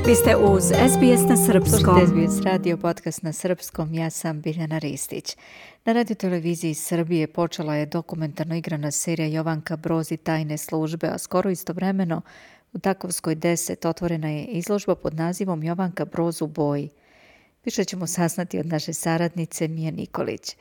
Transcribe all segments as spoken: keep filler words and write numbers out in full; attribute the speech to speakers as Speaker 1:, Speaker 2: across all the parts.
Speaker 1: Vi ste uz S B S na Srpskom.
Speaker 2: Slušajte S B S radio podcast na Srpskom, ja sam Biljana Ristić. Na radio televiziji Srbije počela je dokumentarno igrana serija Jovanka Broz i tajne službe, a skoro istovremeno u Takovskoj deset otvorena je izložba pod nazivom Jovanka Broz u boji. Više ćemo saznati od naše saradnice Mije Nikolić.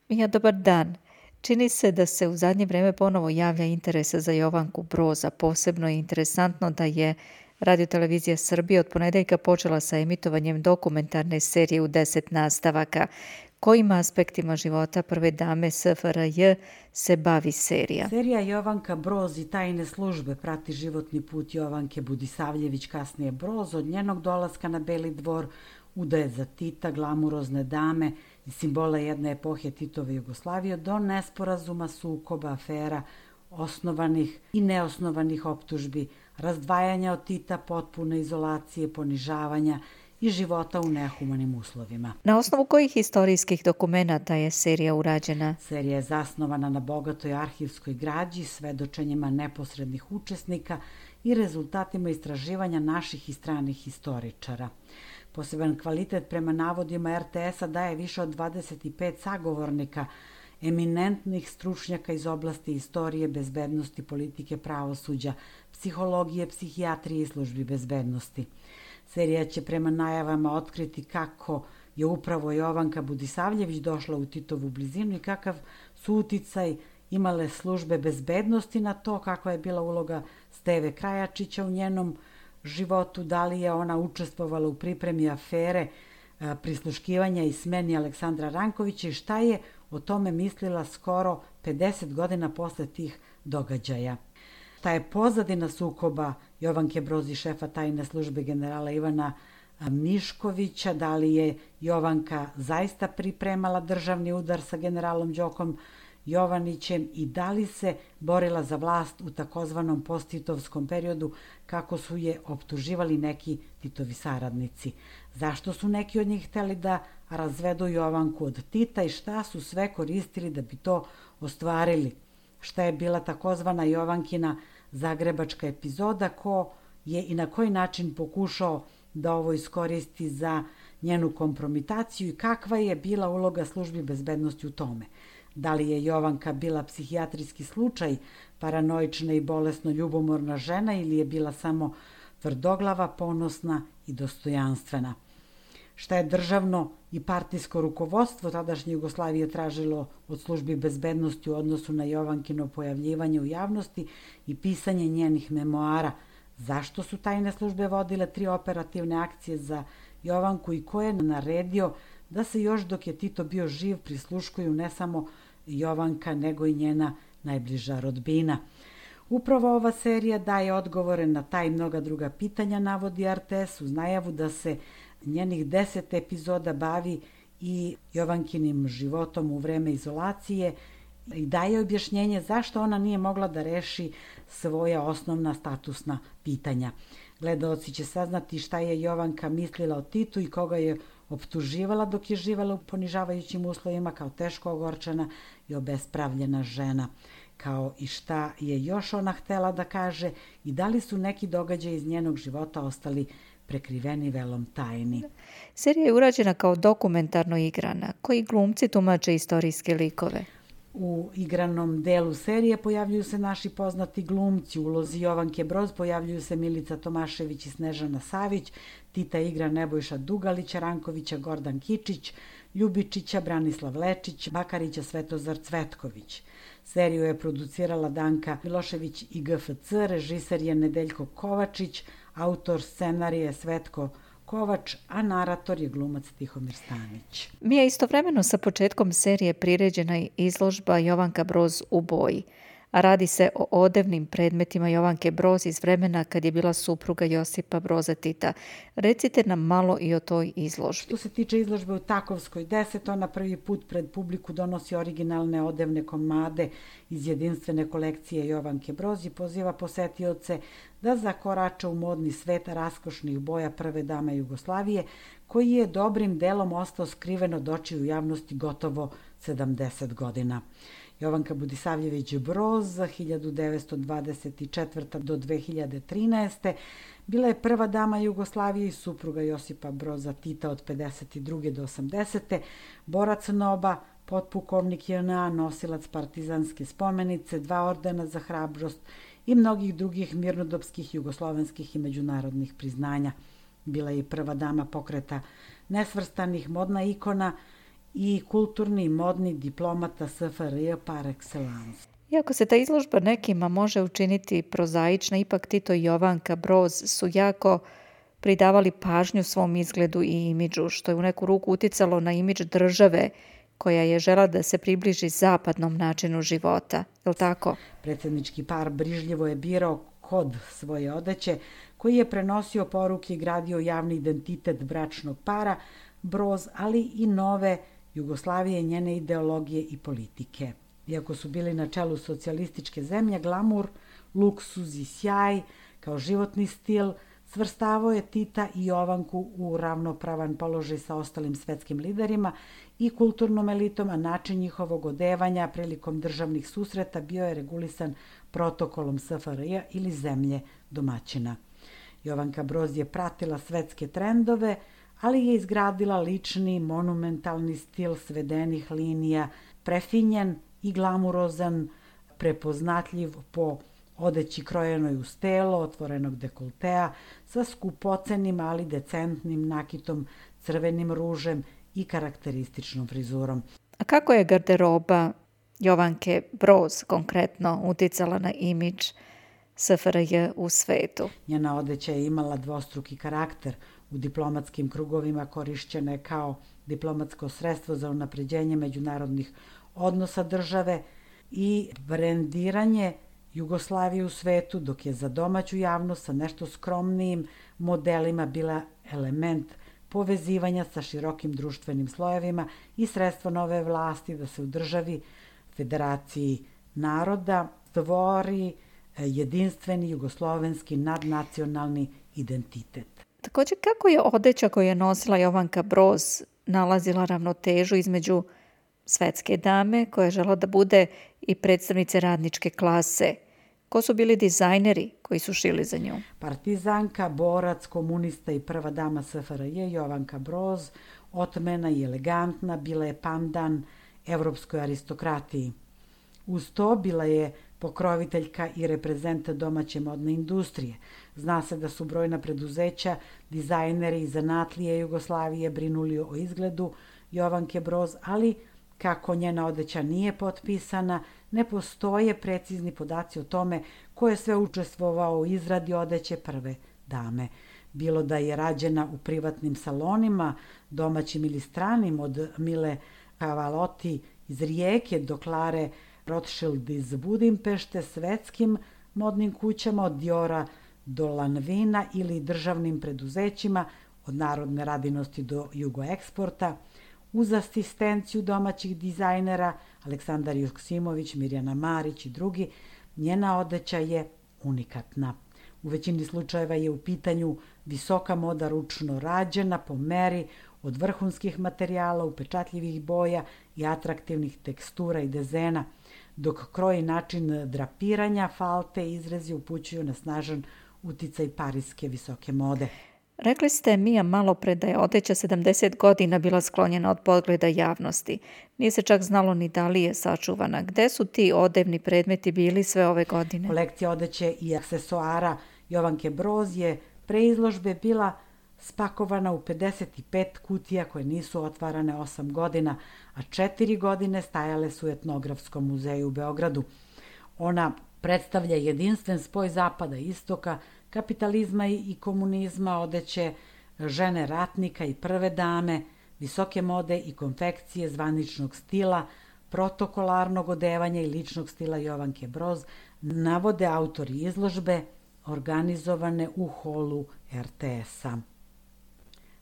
Speaker 2: Mija, dobar dan. Čini se da se u zadnje vreme ponovo javlja interesa za Jovanku Broz, a posebno je interesantno da je Radio televizija Srbije od ponedeljka počela sa emitovanjem dokumentarne serije u deset nastavaka. Kojim aspektima života prve dame S F R J se bavi serija?
Speaker 3: Serija Jovanka Broz i tajne službe prati životni put Jovanke Budisavljević, kasnije Broz, od njenog dolaska na Beli dvor, udaje za Tita, glamurozne dame i simbola jedne epohe Titove Jugoslavije, do nesporazuma, sukoba, afera, osnovanih i neosnovanih optužbi, razdvajanja od Tita, potpune izolacije, ponižavanja i života u nehumanim uslovima.
Speaker 2: Na osnovu kojih istorijskih dokumenata je serija urađena?
Speaker 3: Serija je zasnovana na bogatoj arhivskoj građi, svedočenjima neposrednih učesnika i rezultatima istraživanja naših i stranih historičara. Poseban kvalitet prema navodima R T S-a daje više od dvadeset pet sagovornika, eminentnih stručnjaka iz oblasti istorije, bezbednosti, politike, pravosuđa, psihologije, psihijatrije i službi bezbednosti. Serija će prema najavama otkriti kako je upravo Jovanka Budisavljević došla u Titovu blizinu i kakav su uticaj imale službe bezbednosti na to, kakva je bila uloga Steve Krajačića u njenom životu, da li je ona učestvovala u pripremi afere, prisluškivanja i smeni Aleksandra Rankovića i šta je o tome mislila skoro pedeset godina posle tih događaja. Ta je pozadina sukoba Jovanke Broz i šefa tajne službe generala Ivana Miškovića, da li je Jovanka zaista pripremala državni udar sa generalom Đokom Jovanićem i da li se borila za vlast u takozvanom posttitovskom periodu kako su je optuživali neki Titovi saradnici. Zašto su neki od njih hteli da razvedu Jovanku od Tita i šta su sve koristili da bi to ostvarili? Šta je bila takozvana Jovankina zagrebačka epizoda, ko je i na koji način pokušao da ovo iskoristi za njenu kompromitaciju i kakva je bila uloga službi bezbednosti u tome? Da li je Jovanka bila psihijatrijski slučaj, paranoična i bolesno ljubomorna žena ili je bila samo tvrdoglava, ponosna i dostojanstvena? Šta je državno i partijsko rukovodstvo tadašnje Jugoslavije tražilo od službi bezbednosti u odnosu na Jovankino pojavljivanje u javnosti i pisanje njenih memoara? Zašto su tajne službe vodile tri operativne akcije za Jovanku i ko je naredio da se još dok je Tito bio živ prisluškuju ne samo Jovanka nego i njena najbliža rodbina? Upravo ova serija daje odgovore na ta i mnoga druga pitanja, navodi R T S, uz najavu da se njenih deset epizoda bavi i Jovankinim životom u vreme izolacije i daje objašnjenje zašto ona nije mogla da reši svoja osnovna statusna pitanja. Gledaoci će saznati šta je Jovanka mislila o Titu i koga je optuživala dok je živala u ponižavajućim uslovima kao teško ogorčena i obespravljena žena, kao i šta je još ona htela da kaže i da li su neki događaji iz njenog života ostali prekriveni velom tajni.
Speaker 2: Serija je urađena kao dokumentarno igrana. Koji glumci tumače istorijske likove?
Speaker 3: U igranom delu serije pojavljuju se naši poznati glumci. U ulozi Jovanke Broz pojavljuju se Milica Tomašević i Snežana Savić, Tita igra Nebojša Dugalića, Rankovića Gordan Kičić, Ljubičića Branislav Lečić, Bakarića Svetozar Cvetković. Seriju je producirala Danka Milošević i G F C, režiser je Nedeljko Kovačić, autor scenarije Svetko Kovač, a narator je glumac Tihomir Stanić.
Speaker 2: Mi je istovremeno sa početkom serije priređena i izložba Jovanka Broz u boji, a radi se o odevnim predmetima Jovanke Broz iz vremena kad je bila supruga Josipa Broza Tita. Recite nam malo i o toj izložbi.
Speaker 3: Što se tiče izložbe u Takovskoj deset, ona prvi put pred publiku donosi originalne odevne komade iz jedinstvene kolekcije Jovanke Broz i poziva posetioce da zakorače u modni svet raskošnih boja prve dame Jugoslavije, koji je dobrim delom ostao skriven od očiju javnosti gotovo sedamdeset godina. Jovanka Budisavljević Broz, hiljadu devetsto dvadeset četvrte. do dve hiljade trinaeste. Bila je prva dama Jugoslavije i supruga Josipa Broza Tita od pedeset druge. do osamdesete. Borac NOB-a, potpukovnik J N A, nosilac partizanske spomenice, dva ordena za hrabrost i mnogih drugih mirnodopskih, jugoslovenskih i međunarodnih priznanja. Bila je i prva dama pokreta nesvrstanih, modna ikona i kulturni i modni diplomata S F R J par excellence.
Speaker 2: Iako se ta izložba nekima može učiniti prozaična, ipak Tito i Jovanka Broz su jako pridavali pažnju svom izgledu i imidžu, što je u neku ruku uticalo na imidž države koja je žela da se približi zapadnom načinu života. Je li tako?
Speaker 3: Predsjednički par brižljivo je birao kod svoje odeće, koji je prenosio poruke i gradio javni identitet bračnog para Broz, ali i nove Jugoslavije, njene ideologije i politike. Iako su bili na čelu socijalističke zemlje, glamur, luksuz i sjaj kao životni stil svrstavao je Tita i Jovanku u ravnopravan položaj sa ostalim svetskim liderima i kulturnom elitom, a način njihovog odevanja prilikom državnih susreta bio je regulisan protokolom S F R J ili zemlje domaćina. Jovanka Broz je pratila svetske trendove, ali je izgradila lični, monumentalni stil svedenih linija, prefinjen i glamurozan, prepoznatljiv po odeći krojenoj uz telo, otvorenog dekoltea, sa skupocenim, ali decentnim nakitom, crvenim ružem i karakterističnom frizurom.
Speaker 2: A kako je garderoba Jovanke Broz konkretno uticala na imidž S F R J u svetu?
Speaker 3: Njena odeća je imala dvostruki karakter. U diplomatskim krugovima korišćena je kao diplomatsko sredstvo za unapređenje međunarodnih odnosa države i brendiranje Jugoslavije u svetu, dok je za domaću javnost sa nešto skromnijim modelima bila element povezivanja sa širokim društvenim slojevima i sredstvo nove vlasti da se u državi Federaciji naroda stvori jedinstveni jugoslovenski nadnacionalni identitet.
Speaker 2: Također, kako je odeća koju je nosila Jovanka Broz nalazila ravnotežu između svetske dame koja je žela da bude i predstavnice radničke klase? Ko su bili dizajneri koji su šili za nju?
Speaker 3: Partizanka, borac, komunista i prva dama S F R J Jovanka Broz, otmena i elegantna, bila je pandan evropskoj aristokratiji. Uz to bila je pokroviteljka i reprezent domaće modne industrije. Zna se da su brojna preduzeća, dizajneri i zanatlije Jugoslavije brinuli o izgledu Jovanke Broz, ali kako njena odeća nije potpisana, ne postoje precizni podaci o tome ko je sve učestvovao u izradi odeće prve dame. Bilo da je rađena u privatnim salonima, domaćim ili stranim, od Mile Cavalotti iz Rijeke do Klare Rothschild iz Budimpešte, svetskim modnim kućama od Diora do Lanvina ili državnim preduzećima od Narodne radinosti do Jugoeksporta, uz asistenciju domaćih dizajnera Aleksandar Joksimović, Mirjana Marić i drugi, njena odeća je unikatna. U većini slučajeva je u pitanju visoka moda ručno rađena po meri od vrhunskih materijala, upečatljivih boja i atraktivnih tekstura i dezena, dok kroj način drapiranja, falte i izrezi upućuju na snažan uticaj parijske visoke mode.
Speaker 2: Rekli ste, Mija, malo pre da je odeća sedamdeset godina bila sklonjena od pogleda javnosti. Nije se čak znalo ni da li je sačuvana. Gde su ti odevni predmeti bili sve ove godine?
Speaker 3: Kolekcija odeće i aksesoara Jovanke Broz je pre izložbe bila spakovana u pedeset pet kutija koje nisu otvarane osam godina, a četiri godine stajale su u Etnografskom muzeju u Beogradu. Ona predstavlja jedinstven spoj zapada i istoka, kapitalizma i komunizma, odeće žene ratnika i prve dame, visoke mode i konfekcije zvaničnog stila, protokolarnog odevanja i ličnog stila Jovanke Broz, navode autori izložbe organizovane u holu R T S-a.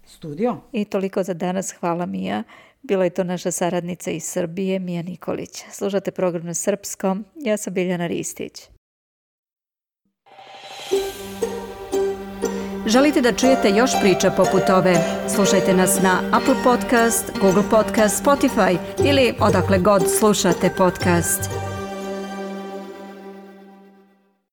Speaker 3: Studio.
Speaker 2: I toliko za danas. Hvala, Mija. Bila je to naša saradnica iz Srbije, Mija Nikolić. Slušate program na srpskom. Ja sam Biljana Ristić.
Speaker 1: Želite da čujete još priča poput ove? Slušajte nas na Apple Podcast, Google Podcast, Spotify ili odakle god slušate podcast.